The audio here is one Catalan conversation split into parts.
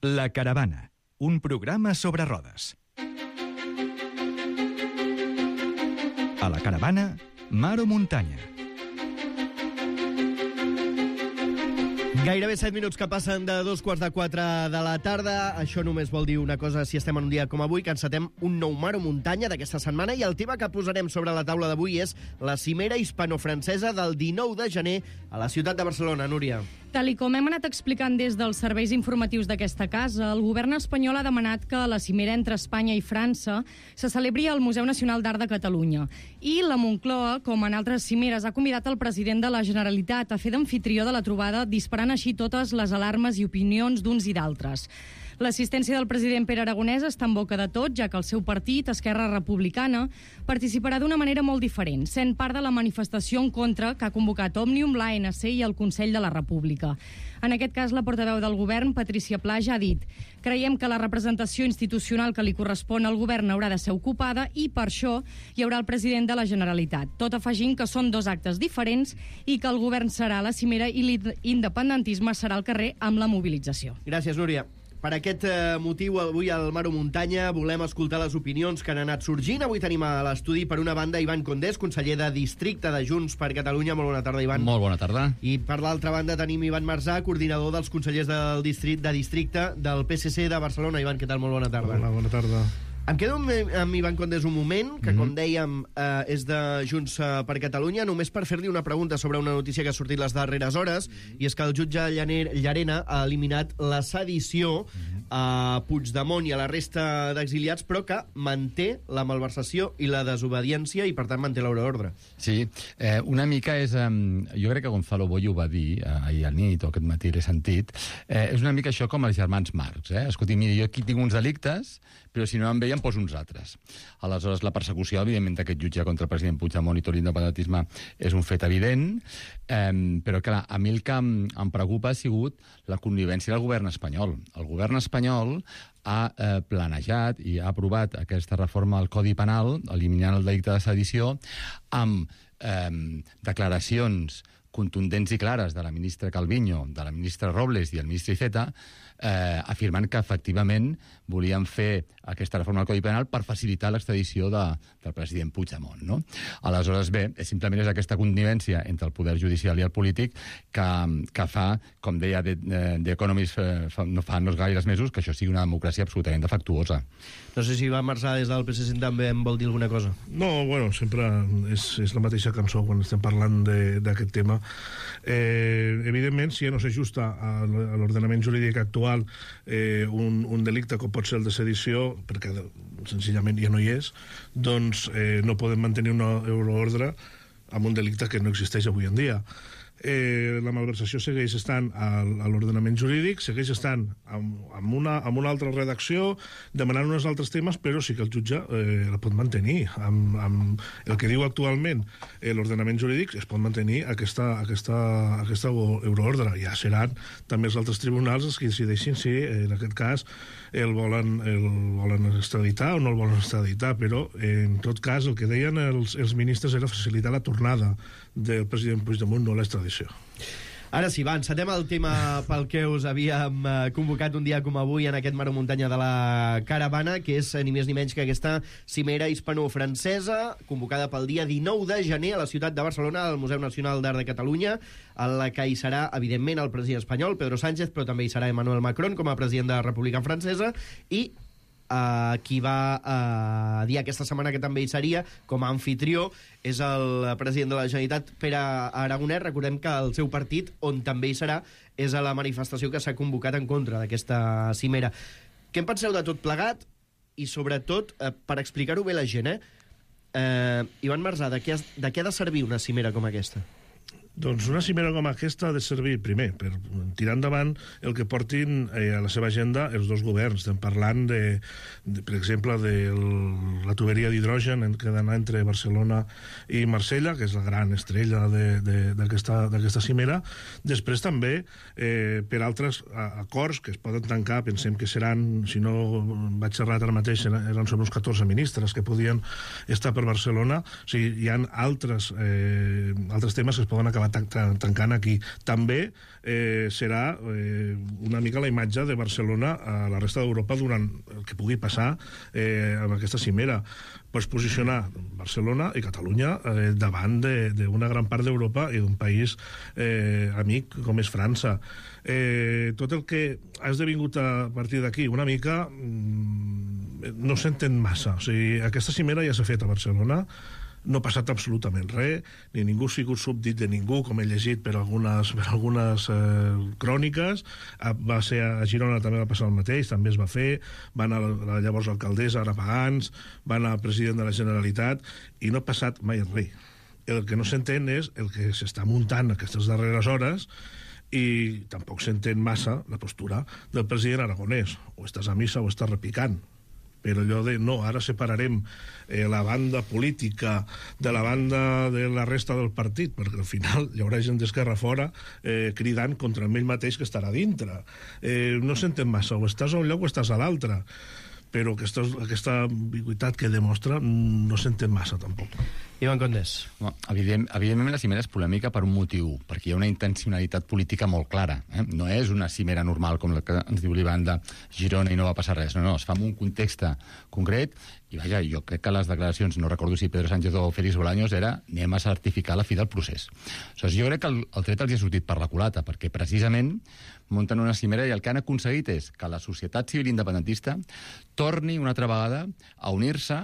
La Caravana, un programa sobre rodes. A la Caravana, mar o muntanya. Gairebé 7 minuts que passen de 3:45 de la tarda. Això només vol dir una cosa si estem en un dia com avui, que encetem un nou mar o muntanya d'aquesta setmana, i el tema que posarem sobre la taula d'avui és la cimera hispano-francesa del 19 de gener a la ciutat de Barcelona. Núria. Tal i com hem anat explicant des dels serveis informatius d'aquesta casa, el govern espanyol ha demanat que la cimera entre Espanya i França se celebri al Museu Nacional d'Art de Catalunya. I la Moncloa, com en altres cimeres, ha convidat el president de la Generalitat a fer d'amfitrió de la trobada, disparant així totes les alarmes i opinions d'uns i d'altres. L'assistència del president Pere Aragonès està en boca de tot, ja que el seu partit, Esquerra Republicana, participarà d'una manera molt diferent, sent part de la manifestació en contra que ha convocat Òmnium, l'ANC i el Consell de la República. En aquest cas, la portaveu del govern, Patrícia Pla, ja ha dit: creiem que la representació institucional que li correspon al govern haurà de ser ocupada i per això hi haurà el president de la Generalitat, tot afegint que són dos actes diferents i que el govern serà a la cimera i l'independentisme serà al carrer amb la mobilització. Gràcies, Núria. Per aquest motiu, avui al Mar o Muntanya volem escoltar les opinions que han anat sorgint. Avui tenim a l'estudi, per una banda, Ivan Condés, conseller de Districte de Junts per Catalunya. Molt bona tarda, Ivan. Molt bona tarda. I per l'altra banda tenim Ivan Marzà, coordinador dels consellers de Districte del PSC de Barcelona. Ivan, què tal? Molt bona tarda. Hola, bona tarda. Em quedo amb Ivan Condés un moment, que com dèiem és de Junts per Catalunya, només per fer-li una pregunta sobre una notícia que ha sortit les darreres hores, i és que el jutge Llarena ha eliminat la sedició a Puigdemont i a la resta d'exiliats, però que manté la malversació i la desobediència i, per tant, manté l'ordre. Sí, una mica és... jo crec que Gonzalo Boye ho va dir ahir a nit, o aquest matí l'he sentit. És una mica això com els germans Marx. Escolti, mira, jo aquí tinc uns delictes, però si no em veien, poso uns altres. Aleshores, la persecució, evidentment, d'aquest jutge contra el president Puigdemont i tot l'independentisme és un fet evident, però, clar, a mi el que em preocupa ha sigut la connivència del govern espanyol. El govern espanyol ha planejat i ha aprovat aquesta reforma al Codi Penal, eliminant el delicte de sedició, amb declaracions contundents i clares de la ministra Calviño, de la ministra Robles i el ministre Iceta, afirmant que efectivament volien fer aquesta reforma del Codi Penal per facilitar l'extradició del president Puigdemont, no? Aleshores, bé, simplement és aquesta connivència entre el poder judicial i el polític que fa, com deia The Economist fa no gaires mesos, que això sigui una democràcia absolutament defectuosa. No sé si Ivan Marzà des del PSC també em vol dir alguna cosa. No, bueno, sempre és la mateixa cançó quan estem parlant d'aquest tema. Evidentment, si no s'ajusta a l'ordenament jurídic actual un delicte com pot ser el de sedició, perquè senzillament ja no hi és, doncs no podem mantenir una euroordre amb un delicte que no existeix avui en dia. La malversació segueix estant a l'ordenament jurídic, segueix estant amb una altra redacció, demanant uns altres temes, però sí que el jutge la pot mantenir. Amb el que diu actualment l'ordenament jurídic es pot mantenir aquesta euroordre. Ja seran també els altres tribunals els que decideixin si en aquest cas el volen extraditar o no el volen extraditar, però en tot cas el que deien els ministres era facilitar la tornada del president Puigdemont, no l'extradició. Ara sí, va, encetem el tema pel que us havíem convocat un dia com avui en aquest Mar o Muntanya de la Caravana, que és ni més ni menys que aquesta cimera hispano-francesa, convocada pel dia 19 de gener a la ciutat de Barcelona, al Museu Nacional d'Art de Catalunya, en la que hi serà, evidentment, el president espanyol, Pedro Sánchez, però també hi serà Emmanuel Macron com a president de la República Francesa, i qui va dir aquesta setmana que també hi seria com a anfitrió és el president de la Generalitat, Pere Aragonès. Recordem que el seu partit, on també hi serà, és a la manifestació que s'ha convocat en contra d'aquesta cimera. Què en penseu de tot plegat? I sobretot, per explicar-ho bé a la gent, Ivan Marzà, de què ha de servir una cimera com aquesta? Doncs una cimera com aquesta ha de servir, primer, per tirar endavant el que portin a la seva agenda els dos governs. Estem parlant, per exemple, de la tuberia d'hidrogen que ha d'anar entre Barcelona i Marsella, que és la gran estrella d'aquesta cimera. Després també, per altres acords que es poden tancar, pensem que seran, si no vaig errat ara mateix, eren sobre uns 14 ministres que podien estar per Barcelona. O sigui, hi ha altres temes que es poden acabar s'acaba tancant aquí. També serà una mica la imatge de Barcelona a la resta d'Europa durant el que pugui passar amb aquesta cimera. Pots posicionar Barcelona i Catalunya davant d'una gran part d'Europa i d'un país amic com és França. Tot el que ha esdevingut a partir d'aquí una mica no s'entén massa. O sigui, aquesta cimera ja s'ha fet a Barcelona, no ha passat absolutament res, ni ningú ha sigut súbdit de ningú, com he llegit per algunes cròniques. Va ser a Girona, també va passar el mateix, també es va fer, va anar la llavors alcaldessa, ara Pagans, va anar el president de la Generalitat, i no ha passat mai res. El que no s'entén és el que s'està muntant aquestes darreres hores, i tampoc s'entén massa la postura del president aragonès. O estàs a missa o estàs repicant. Però allò de, no, ara separarem la banda política de la banda de la resta del partit, perquè al final hi haurà gent d'Esquerra fora cridant contra ell mateix que estarà dintre. No s'entén massa, o estàs a un lloc o estàs a l'altre, però aquesta ambigüitat que demostra no s'entén massa, tampoc. Ivan Condés. Evidentment la cimera és polèmica per un motiu, perquè hi ha una intencionalitat política molt clara. No és una cimera normal com la que ens diu l'Ivan de Girona i no va passar res. No, es fa en un context concret i, vaja, jo crec que les declaracions, no recordo si Pedro Sánchez o Félix Bolaños, era anem a certificar la fi del procés. Aleshores, jo crec que el tret els ha sortit per la culata, perquè precisament munten una cimera i el que han aconseguit és que la societat civil independentista torni una altra vegada a unir-se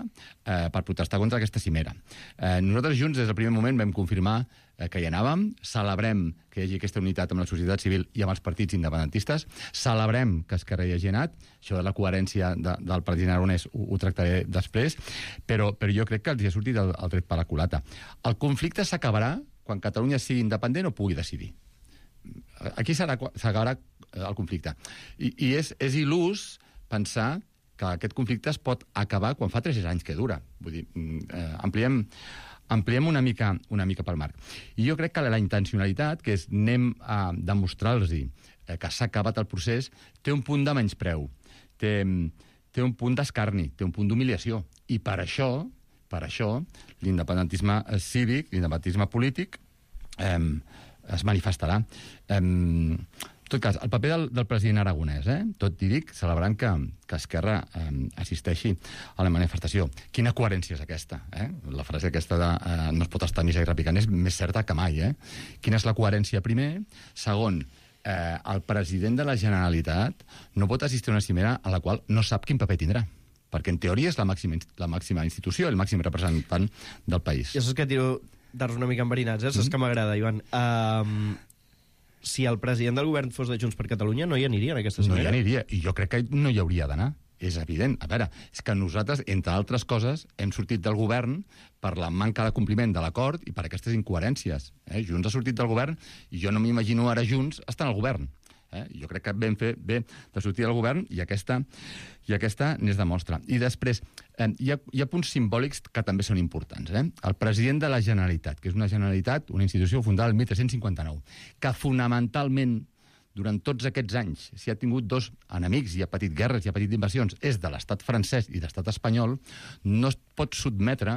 per protestar contra aquesta cimera. Nosaltres junts, des del primer moment, vam confirmar que hi anàvem, celebrem que hi hagi aquesta unitat amb la societat civil i amb els partits independentistes, celebrem que Esquerra hi hagi anat, això de la coherència del president aragonès ho tractaré després, però jo crec que els hi ha sortit el tret per la culata. El conflicte s'acabarà quan Catalunya sigui independent o pugui decidir. Aquí s'acabarà el conflicte. I és il·lús pensar que aquest conflicte es pot acabar quan fa 3 anys que dura. Vull dir, ampliem una mica pel marc. I jo crec que la intencionalitat, que és anem a demostrar-los que s'ha acabat el procés, té un punt de menyspreu, té un punt d'escarni, té un punt d'humiliació. I per això l'independentisme cívic, l'independentisme polític, es manifestarà. En tot cas, el paper del president aragonès, tot i dic, celebrant que Esquerra assisteixi a la manifestació. Quina coherència és aquesta? La frase aquesta de no es pot estar missa i repicant és més certa que mai. Quina és la coherència, primer? Segon, el president de la Generalitat no pot assistir a una cimera a la qual no sap quin paper tindrà, perquè en teoria és la màxima institució, el màxim representant del país. Ja saps que tiro darts una mica enverinats, saps que m'agrada, Ivan. Si el president del govern fos de Junts per Catalunya, no hi aniria en aquesta cimera? No hi aniria, i jo crec que no hi hauria d'anar. És evident. A veure, és que nosaltres, entre altres coses, hem sortit del govern per la manca de compliment de l'acord i per aquestes incoherències. Junts ha sortit del govern i jo no m'imagino ara Junts estar al govern. Jo crec que vam fer bé de sortir del govern i aquesta n'és de mostra. I després, hi ha punts simbòlics que també són importants. El president de la Generalitat, que és una Generalitat, una institució fundada el 1359, que fonamentalment durant tots aquests anys, si ha tingut 2 enemics, i ha patit guerres, i ha patit invasions, és de l'estat francès i de l'estat espanyol, no es pot sotmetre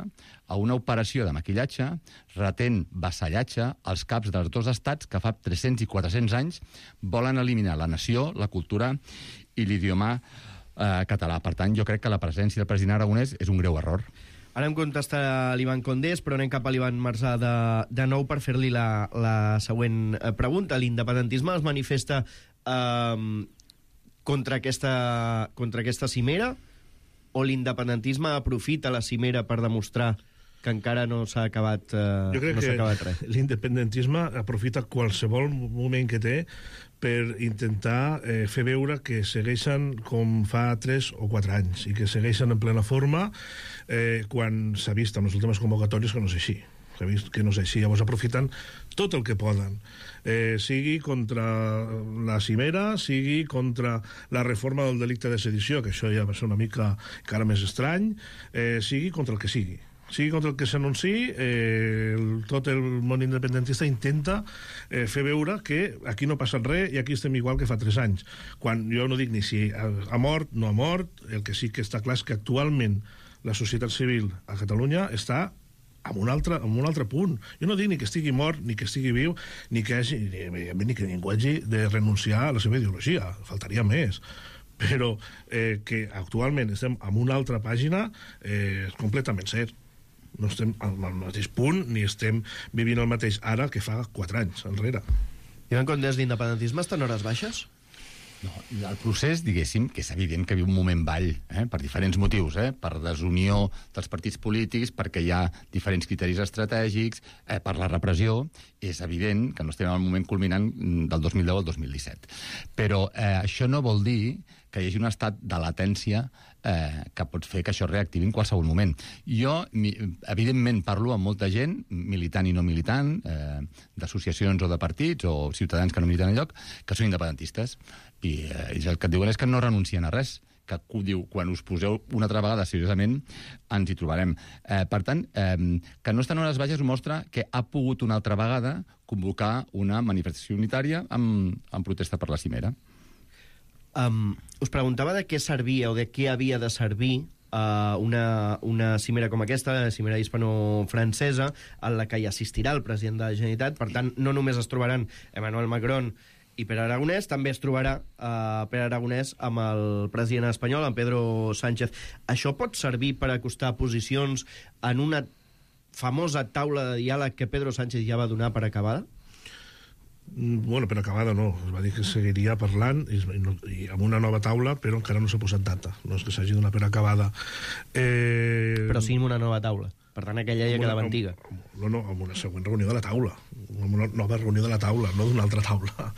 a una operació de maquillatge retent vassallatge als caps dels 2 estats que fa 300 i 400 anys volen eliminar la nació, la cultura i l'idioma català. Per tant, jo crec que la presència del president aragonès és un greu error. Ara em contesta l'Ivan Condés, però anem cap a l'Ivan Marsà de nou per fer-li la següent pregunta. L'independentisme es manifesta contra aquesta cimera o l'independentisme aprofita la cimera per demostrar que encara no s'ha acabat res? Jo crec que l'independentisme aprofita qualsevol moment que té per intentar fer veure que segueixen com fa 3 o 4 anys i que segueixen en plena forma quan s'ha vist en les últimes convocatòries que no és així. S'ha vist que no és així. Llavors aprofiten tot el que poden. Sigui contra la cimera, sigui contra la reforma del delicte de sedició, que això ja va ser una mica encara més estrany, sigui contra el que sigui. Sigui contra el que s'anunciï, tot el món independentista intenta fer veure que aquí no ha passat res i aquí estem igual que fa 3 anys. Quan jo no dic ni si ha mort, no ha mort, el que sí que està clar és que actualment la societat civil a Catalunya està en un altre punt. Jo no dic ni que estigui mort, ni que estigui viu, ni que ningú hagi de renunciar a la seva ideologia. Faltaria més. Però que actualment estem en una altra pàgina és completament cert. No estem al mateix punt ni estem vivint el mateix ara que fa 4 anys enrere. Ivan Condés, l'independentisme està en hores baixes? No, el procés, diguéssim, que és evident que viu un moment ball, per diferents motius, per desunió dels partits polítics, perquè hi ha diferents criteris estratègics, per la repressió, és evident que no estem en el moment culminant del 2010 al 2017. Però això no vol dir que hi hagi un estat de latència que pot fer que això reactivi en qualsevol moment. Jo, evidentment, parlo amb molta gent, militant i no militant, d'associacions o de partits, o ciutadans que no militen enlloc, que són independentistes. I el que et diuen és que no renuncien a res, que diu, quan us poseu una altra vegada seriosament, ens hi trobarem. Per tant, que no estan en hores baixes ho mostra que ha pogut una altra vegada convocar una manifestació unitària en protesta per la cimera. Us preguntava de què servia o de què havia de servir una cimera com aquesta, la cimera hispano-francesa, en la que hi assistirà el president de la Generalitat. Per tant, no només es trobaran Emmanuel Macron i Pere Aragonès, també es trobarà Pere Aragonès amb el president espanyol, amb Pedro Sánchez. Això pot servir per acostar posicions en una famosa taula de diàleg que Pedro Sánchez ja va donar per acabada? Bueno, per acabada no. Es va dir que seguiria parlant i amb una nova taula, però encara no s'ha posat data. No és que s'hagi donat per acabada. Però sí amb una nova taula. Per tant, aquella ja quedava antiga. No, amb una següent reunió de la taula. Amb una nova reunió de la taula, no d'una altra taula.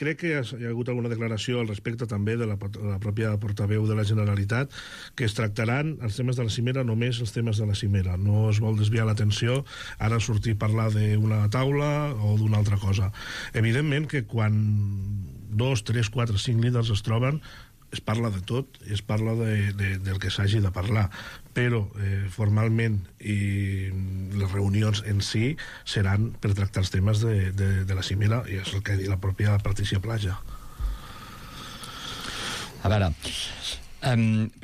Crec que hi ha hagut alguna declaració al respecte també de la pròpia portaveu de la Generalitat, que es tractaran els temes de la cimera, només els temes de la cimera. No es vol desviar l'atenció ara sortir a parlar d'una taula o d'una altra cosa. Evidentment que quan 2, 3, 4, 5 líders es troben, es parla de tot i es parla del que s'hagi de parlar, però formalment i les reunions en si seran per tractar els temes de la cimera, i és el que ha dit la pròpia Patricia Plaja. A veure,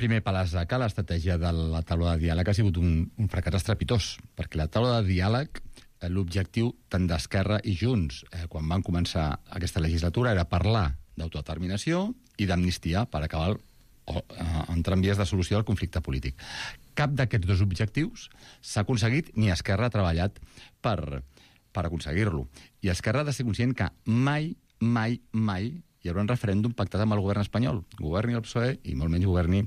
primer, Palasaca, l'estratègia de la taula de diàleg ha sigut un fracàs estrepitós, perquè la taula de diàleg, l'objectiu tant d'Esquerra i Junts, quan van començar aquesta legislatura, era parlar d'autodeterminació i d'amnistia per acabar entrar en vies de solució del conflicte polític. Cap d'aquests dos objectius s'ha aconseguit ni Esquerra ha treballat per aconseguir-lo. I Esquerra ha de ser conscient que mai hi haurà un referèndum pactat amb el govern espanyol. Governi el PSOE i molt menys governi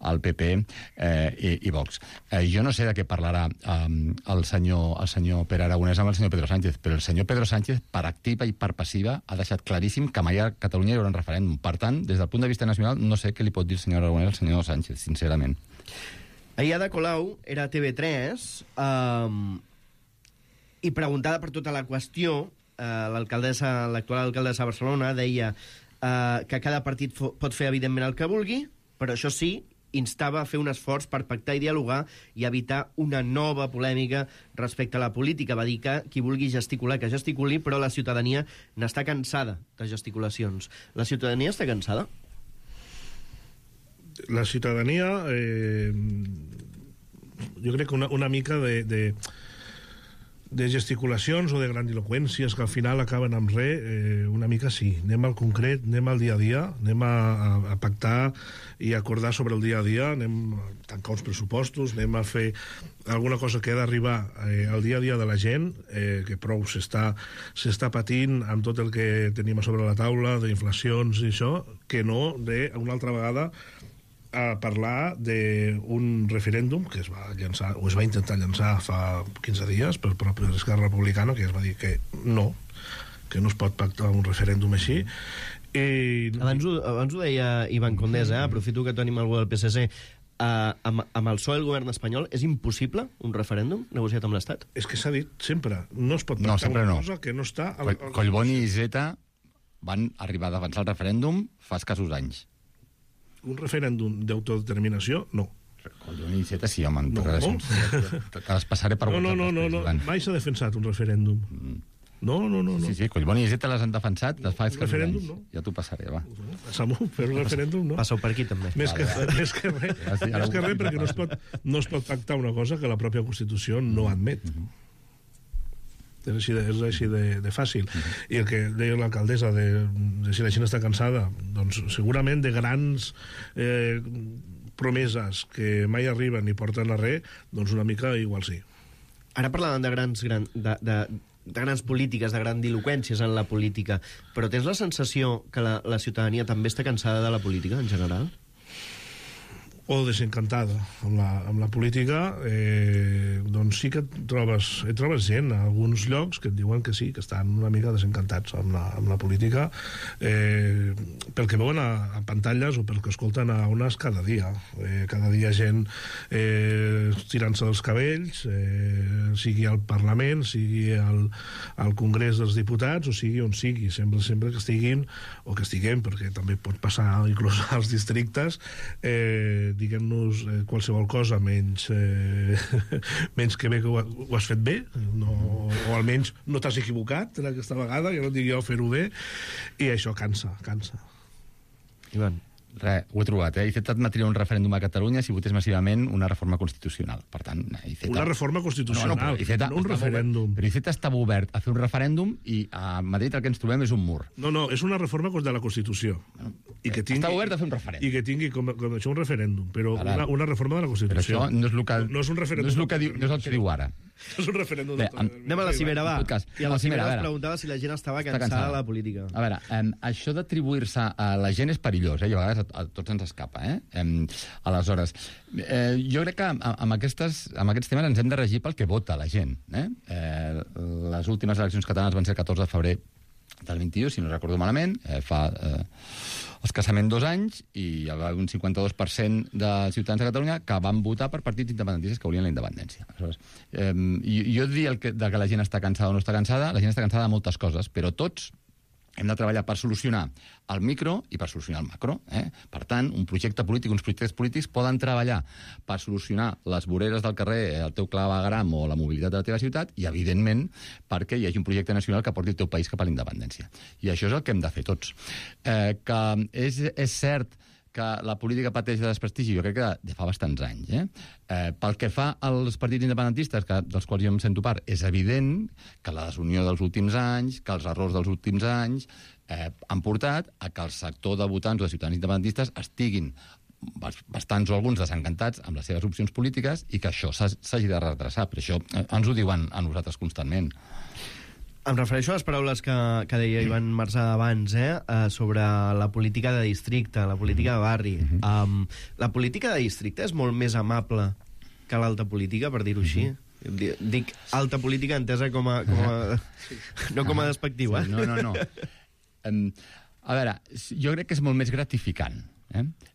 el PP i Vox. Jo no sé de què parlarà el senyor Pere Aragonès amb el senyor Pedro Sánchez, però el senyor Pedro Sánchez, per activa i per passiva, ha deixat claríssim que mai a Catalunya hi haurà un referèndum. Per tant, des del punt de vista nacional, no sé què li pot dir el senyor Aragonès al senyor Sánchez, sincerament. Ahir Ada Colau era a TV3 i preguntada per tota la qüestió, l'actual alcaldessa de Barcelona deia que cada partit pot fer evidentment el que vulgui, però això sí, instava a fer un esforç per pactar i dialogar i evitar una nova polèmica respecte a la política. Va dir que qui vulgui gesticular, que gesticuli, però la ciutadania n'està cansada de gesticulacions. La ciutadania està cansada? La ciutadania jo crec que una mica de gesticulacions o de grandiloqüències que al final acaben amb res, una mica sí. Anem al concret, anem al dia a dia, anem a pactar i acordar sobre el dia a dia, anem a tancar uns pressupostos, anem a fer alguna cosa que ha d'arribar al dia a dia de la gent, que prou s'està patint amb tot el que tenim a sobre la taula, d'inflacions i això, que no una altra vegada a parlar d'un referèndum que es va llançar, o es va intentar llançar fa 15 dies pel propi Esquerra Republicana, que es va dir que no es pot pactar un referèndum així. Abans ho deia Ivan Condés, aprofito que tenim algú del PSC. Amb el PSOE el govern espanyol és impossible un referèndum negociat amb l'Estat? És que s'ha dit sempre, no es pot pactar una cosa que no està... Collboni i Iceta van arribar a defensar el referèndum fa escassos anys. Un referèndum d'autodeterminació, no. Collboni i Iceta sí, home, te les passaré per WhatsApp. No, mai s'ha defensat un referèndum. No. Sí, Collboni i Iceta les han defensat, les fa referèndum, no? Ja t'ho passaré, va. Samu, fer un referèndum, no? Passeu per aquí, també. Més que res, perquè no es pot pactar una cosa que la pròpia Constitució no admet. És així de fàcil. I el que deia l'alcaldessa de si la gent està cansada, doncs segurament de grans promeses que mai arriben ni porten a res, doncs una mica igual sí. Ara parlàvem de grans polítiques, de grandiloquències en la política, però tens la sensació que la ciutadania també està cansada de la política, en general? O desencantada amb la política, doncs sí que trobes gent a alguns llocs que et diuen que sí, que estan una mica desencantats amb la política, pel que veuen a pantalles o pel que escolten a ones cada dia. Cada dia gent tirant-se dels cabells, sigui al Parlament, sigui al Congrés dels Diputats, o sigui on sigui, sempre que estiguin, o que estiguem, perquè també pot passar inclús als districtes, diguem-nos qualsevol cosa menys que bé que ho has fet bé, o almenys no t'has equivocat aquesta vegada, que no et digui jo fer-ho bé, i això cansa. Ivan. Res, ho he trobat, Iceta admetria un referèndum a Catalunya si votés massivament una reforma constitucional. Per tant, Iceta... Una reforma constitucional, no un referèndum. Però Iceta estava obert a fer un referèndum i a Madrid el que ens trobem és un mur. No, és una reforma de la Constitució. Està obert a fer un referèndum. I que tingui com això un referèndum, però una reforma de la Constitució. Però això no és el que, no és un referèndum. No és el que diu ara. És un referèndum. Anem a la cimera, va. I a la cimera es preguntava si la gent estava cansada de la política. A veure, això d'atribuir-se a la gent és perillós, i a vegades a tots ens escapa, aleshores, jo crec que amb aquests temes ens hem de regir pel que vota la gent, les últimes eleccions catalanes van ser el 14 de febrer del 21, si no recordo malament, fa escassament 2 anys, i hi havia un 52% de ciutadans de Catalunya que van votar per partits independentistes que volien la independència. Aleshores, jo dir que la gent està cansada o no està cansada, la gent està cansada de moltes coses, però tots hem de treballar per solucionar el micro i per solucionar el macro. Per tant, un projecte polític, uns projectes polítics poden treballar per solucionar les voreres del carrer, el teu clavegram o la mobilitat de la teva ciutat, i, evidentment, perquè hi hagi un projecte nacional que porti el teu país cap a la independència. I això és el que hem de fer tots. Que és cert que la política pateix de desprestigi, jo crec que de fa bastants anys. Pel que fa als partits independentistes, dels quals jo em sento part, és evident que la desunió dels últims anys, que els errors dels últims anys han portat a que el sector de votants o de ciutadans independentistes estiguin bastants o alguns desencantats amb les seves opcions polítiques i que això s'hagi de redreçar. Per això ens ho diuen a nosaltres constantment. Em refereixo a les paraules que deia Ivan Marsà abans, sobre la política de districte, la política de barri. La política de districte és molt més amable que l'alta política, per dir-ho així. Dic alta política entesa com a no com a despectiu, eh? No. A veure, jo crec que és molt més gratificant.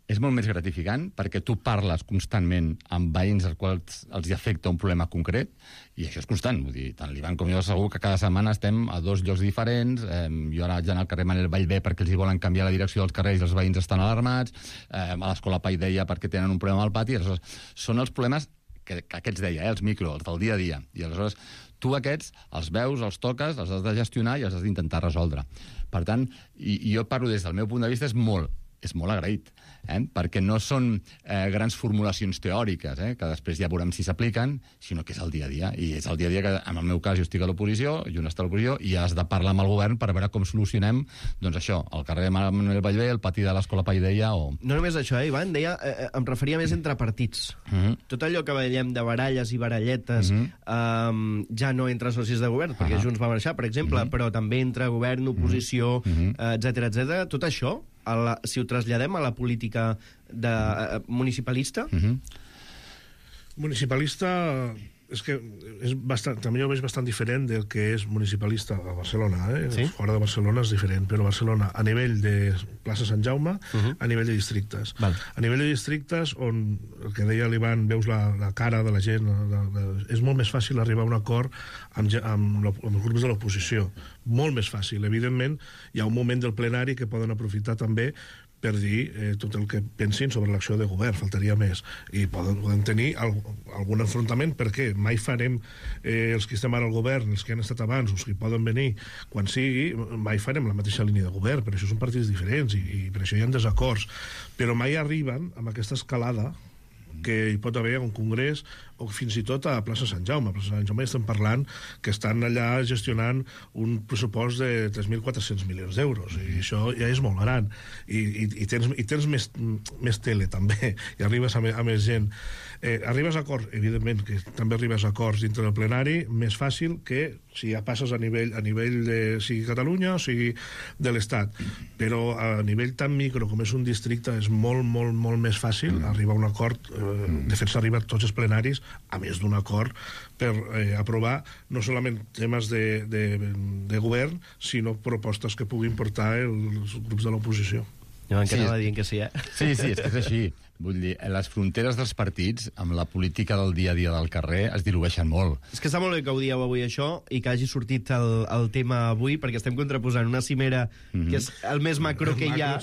És molt més gratificant perquè tu parles constantment amb veïns als quals els afecta un problema concret, i això és constant. Vull dir, tant l'Ivan com jo segur que cada setmana estem a 2 llocs diferents. Jo ara vaig anar al carrer Manel Vallvé perquè els hi volen canviar la direcció dels carrers i els veïns estan alarmats, a l'escola Paideia perquè tenen un problema al pati. Aleshores, són els problemes que aquests deia, els micro, els del dia a dia. I aleshores tu aquests els veus, els toques, els has de gestionar i els has d'intentar resoldre. Per tant, i jo parlo des del meu punt de vista, és molt agraït, perquè no són grans formulacions teòriques, que després ja veurem si s'apliquen, sinó que és el dia a dia. I és el dia a dia que, en el meu cas, jo estic a l'oposició, i un està a l'oposició, i has de parlar amb el govern per veure com solucionem, doncs això, el carrer Manuel Vallvé, el pati de l'escola Paideia o... No només això, Ivan, deia, em referia més entre partits. Tot allò que veiem de baralles i baralletes ja no entre socis de govern, perquè Junts va marxar, per exemple, però també entre govern, oposició, etc. Tot això, si ho traslladem a la política municipalista? Municipalista és que també ho veig bastant diferent del que és municipalista a Barcelona. Sí? Fora de Barcelona és diferent, però Barcelona, a nivell de plaça Sant Jaume, a nivell de districtes. A nivell de districtes, on el que deia l'Ivan, veus la cara de la gent, és molt més fàcil arribar a un acord amb els grups de l'oposició. Molt més fàcil. Evidentment, hi ha un moment del plenari que poden aprofitar també per dir tot el que pensin sobre l'acció de govern, faltaria més. I poden tenir algun enfrontament, perquè mai farem, els que estem ara al govern, els que han estat abans, els que poden venir quan sigui, mai farem la mateixa línia de govern, per això són partits diferents i per això hi ha desacords. Però mai arriben amb aquesta escalada que hi pot haver un congrés o fins i tot a plaça Sant Jaume. A plaça Sant Jaume estem parlant que estan allà gestionant un pressupost de 3.400 milions d'euros, i això ja és molt gran. I tens més tele, també, i arribes a més gent. Arribes a acords, evidentment, que també arribes a acords dintre del plenari, més fàcil que si ja passes a nivell de sigui Catalunya o sigui de l'Estat. Però a nivell tan micro com és un districte és molt, molt, molt més fàcil arribar a un acord. De fet, s'ha arribat tots els plenaris a més d'un acord per aprovar no solament temes de govern, sinó propostes que puguin portar els grups de l'oposició. Jo m'encara dient que sí, Sí, és que és així. Vull dir, les fronteres dels partits amb la política del dia a dia del carrer es dilueixen molt. És que està molt bé que ho dieu avui això i que hagi sortit el tema avui, perquè estem contraposant una cimera que és el més macro que hi ha,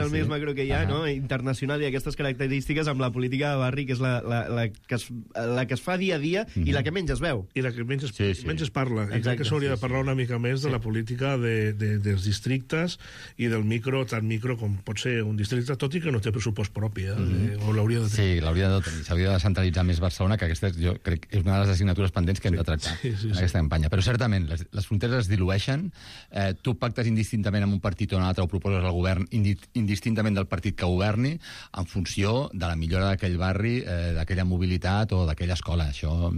més macro que hi ha, no? Internacional, i aquestes característiques amb la política de barri, que és la que es fa dia a dia i la que menys es veu. I la que menys es parla. I crec que s'hauria de parlar una mica més de la política dels districtes i del micro, tan micro com pot ser un districte, tot i que no té pressupost propi, o l'hauria de tenir. Sí, l'hauria de tenir. S'hauria de centralitzar més Barcelona, que aquesta jo crec que és una de les assignatures pendents que hem de tractar en aquesta campanya. Però certament, les fronteres es dilueixen. Tu pactes indistintament amb un partit o un altre, o proposes al govern indistintament del partit que governi, en funció de la millora d'aquell barri, d'aquella mobilitat o d'aquella escola. Això,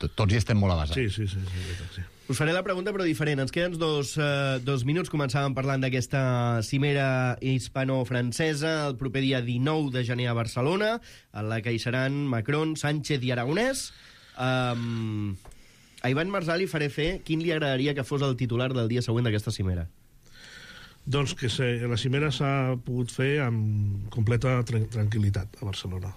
tots hi estem molt avasats. Sí. Us faré la pregunta, però diferent. Ens queden dos minuts. Començàvem parlant d'aquesta cimera hispano-francesa el proper dia 19 de gener a Barcelona, en la que hi seran Macron, Sánchez i Aragonès. A Ivan Marsal li faré fer quin li agradaria que fos el titular del dia següent d'aquesta cimera. Doncs que la cimera s'ha pogut fer amb completa tranquil·litat a Barcelona.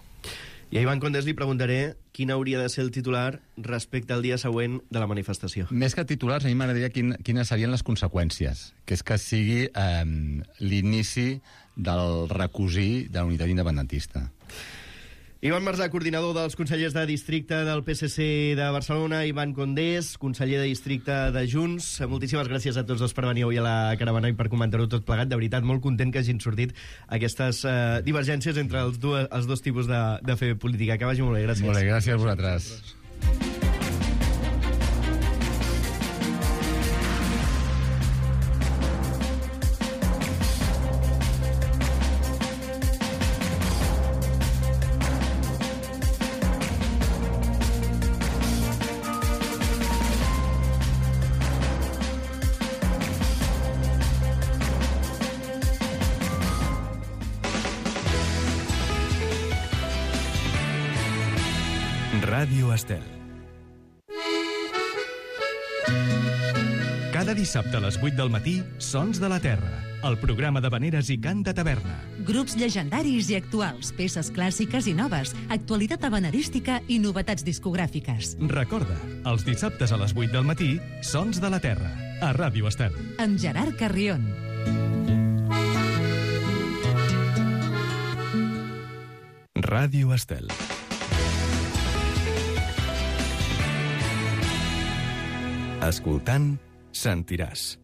I a Ivan Condés li preguntaré quin hauria de ser el titular respecte al dia següent de la manifestació. Més que titulars, a mi m'agradaria quines serien les conseqüències, que és que sigui l'inici del recosir de la unitat independentista. Ivan Marsal, coordinador dels consellers de districte del PSC de Barcelona, Ivan Condés, conseller de districte de Junts. Moltíssimes gràcies a tots dos per venir avui a la caravana i per comentar-ho tot plegat. De veritat, molt content que hagin sortit aquestes divergències entre els dos tipus de fer política. Que vagi molt bé, gràcies. Molt bé, gràcies a vosaltres. Ràdio Estel. Cada dissabte a les 8 del matí, Sons de la Terra, el programa d'havaneres i cant de taverna. Grups llegendaris i actuals, peces clàssiques i noves, actualitat havanerística i novetats discogràfiques. Recorda, els dissabtes a les 8 del matí, Sons de la Terra, a Ràdio Estel. Amb Gerard Carrion. Ràdio Estel. Escoltant, sentiràs.